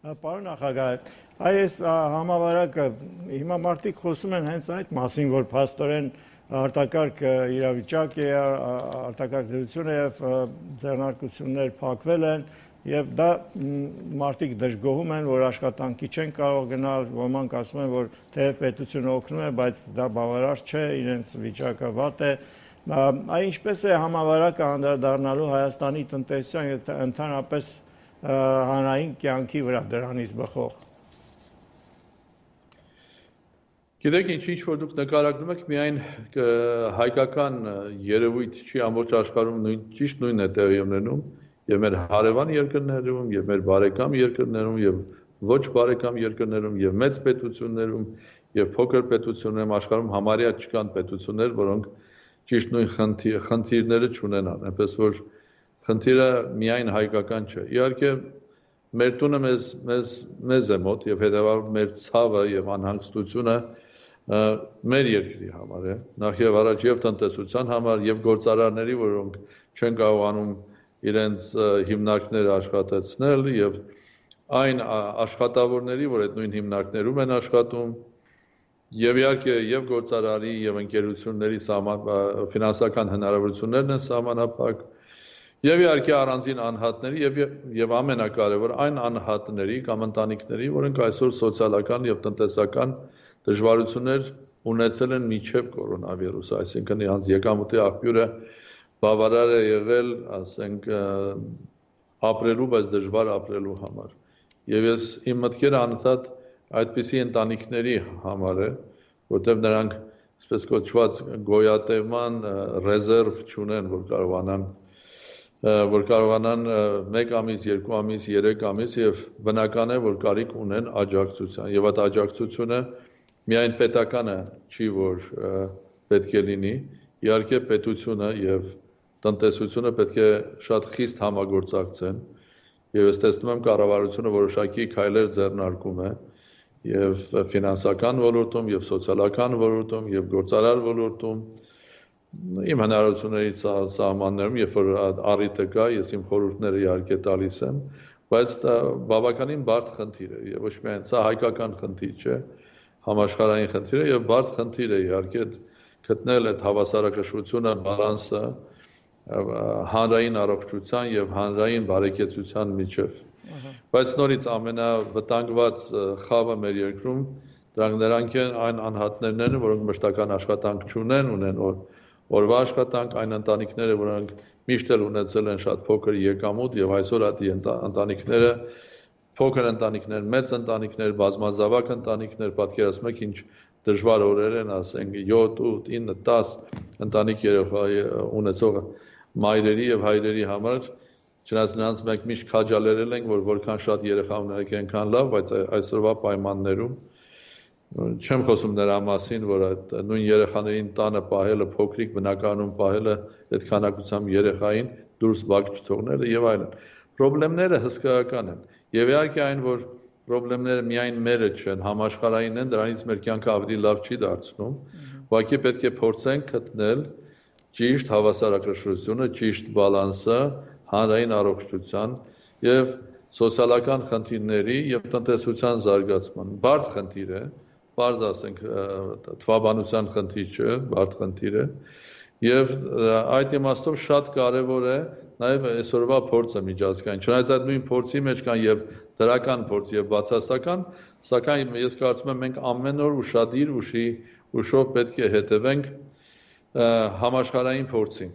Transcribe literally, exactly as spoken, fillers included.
Պարոն նախագահ, այս համավարակը հիմա մարդիկ խոսում են հենց այդ մասին, որ փաստորեն արտակարգ իրավիճակ է, արտակարգ դրություն է եւ ձեռնարկություններ փակվել են եւ դա մարդիկ դժգոհում են, որ աշխատանքի չեն կարող գնալ, ոմանք ասում են, որ թե պետությունը օգնում է, բայց դա բավարար չէ, իրենց վիճակը վատ է։ Այ ինչպես է համավարակը անդրադառնալու Հայաստանի տնտեսության եւ ընդհանրապես հանրային կյանքի վրա դրանից բխող։ Գիտեք, ինչ որ դուք նկարագրում եք, միայն հայկական երևույթ չի, ամբողջ աշխարհում նույն ճիշտ նույնն է տեղի ունենում, եւ մեր հարևան երկրներում, եւ մեր բարեկամ երկրներում, եւ ոչ բարեկամ երկրներում, եւ մեծ պետություններում, եւ փոքր պետություններում աշխարհում համարյա չկան պետություններ, որոնք ճիշտ նույն խնդիրները չունենան, այնպես որ խնդիրը միայն հայկական չէ։ Իհարկե, մեր տունը մեզ մեզ մեզ է մոտ եւ հետեւաբար մեր ցավը եւ անհանգստությունը մեր երկրի համար է, նախ եւ առաջ եւ տնտեսության համար եւ գործարարների, որոնք չեն կարողանում իրենց հիմնարկները աշխատեցնել եւ այն աշխատավորների, որ այդ նույն հիմնարկներում են աշխատում եւ իհարկե եւ գործարարի եւ ընկերությունների ֆինանսական հնարավորություններն են սահմանափակ եւ իհարկե առանձին անհատների եւ եւ ամենակարևոր այն անհատների կամ ընտանիքների, որոնք այսօր սոցիալական եւ տնտեսական դժվարություններ ունեցել են միջև կորոնավիրուսը, այսինքն իրանց եկամուտի աղբյուրը բավարար է եղել, ասենք, ապրելու, բայց դժվար ապրելու համար։ Եվ ես իմ մտքերը անընդհատ այդպիսի ընտանիքների համար է, որտեղ նրանք, այսպես կոչված, գոյատևման ռեզերվ չունեն, որ կարողանան որ կարողանան մեկ ամիս, երկու ամիս, երեք ամիս եւ բնական է, որ կարիք ունեն աջակցության եւ այդ աջակցությունը միայն պետականը չի, որ պետք է լինի, իհարկե պետությունը եւ տնտեսությունը պետք է շատ խիստ համագործակցեն եւ ես տեսնում եմ կառավարությունը որոշակի քայլեր ձեռնարկում է եւ ֆինանսական ոլորտում եւ սոցիալական ոլորտում եւ գործարար ոլորտում իմ հնարավորությունների սահմաններում, երբ որ առիթը կա, ես իմ խորհուրդները իհարկե տալիս եմ, բայց դա բավականին բարդ խնդիր է եւ ոչ միայն սա հայկական խնդիր չէ, համաշխարհային խնդիր է եւ բարդ խնդիր է իհարկե գտնել այդ հավասարակշռությունը, բալանսը հանրային առողջության եւ հանրային բարեկեցության միջեւ։ Բայց նորից ամենավտանգված խավը մեր երկրում դրանք նրանք են այն անհատներն են, որոնք մշտական աշխատանք չունեն, ունեն օրվա աշխատանք, այն ընտանիքները, որոնք միշտ էլ ունեցել են շատ փոքր եկամուտ եւ այսօր այդ ընտանիքները փոքր ընտանիքներ, մեծ ընտանիքներ, բազմազավակ ընտանիքներ, պատկերացնում եք ինչ դժվար օրեր են, ասենք յոթ, ութ, ինը, դաս ընտանիք երեխա ունեցող մայրերի եւ հայրերի համար, չնայած նրանց մենք միշտ քաջալերել ենք, որ որքան շատ երեխա ունենք, այնքան լավ, բայց այսօրվա պայմաններում չեմ խոսում նրա մասին, որ այդ նույն երեխաներին տանը պահելը, փոքրիկ բնակարանում պահելը, այդ քանակությամբ երեխային դուրս բակ չթողնելը եւ այլն։ Պրոբլեմները հսկայական են։ Եվ իհարկե այն, որ պրոբլեմները միայն մերը չեն, համաշխարհային են, դրանից մեր կյանքը ավելի լավ չի դարձնում, ուղղակի պետք է փորձենք գտնել ճիշտ հավասարակշռությունը, ճիշտ բալանսը հանրային առողջության եւ սոցիալական խնդիրների եւ տնտեսության զարգացման։ Բարդ խնդիր է, բարձ ասենք թվաբանության խնդիր չէ, բարդ խնդիր է եւ այդ իմաստով շատ կարեւոր է նաեւ այսօրվա փորձը միջազգային։ Չնայած այդ նույն փորձի մեջ կան եւ դրական փորձ եւ բացասական, սակայն ես կարծում եմ մենք ամեն օր ուշադիր ուշի ուշով պետք է հետևենք համաշխարհային փորձին։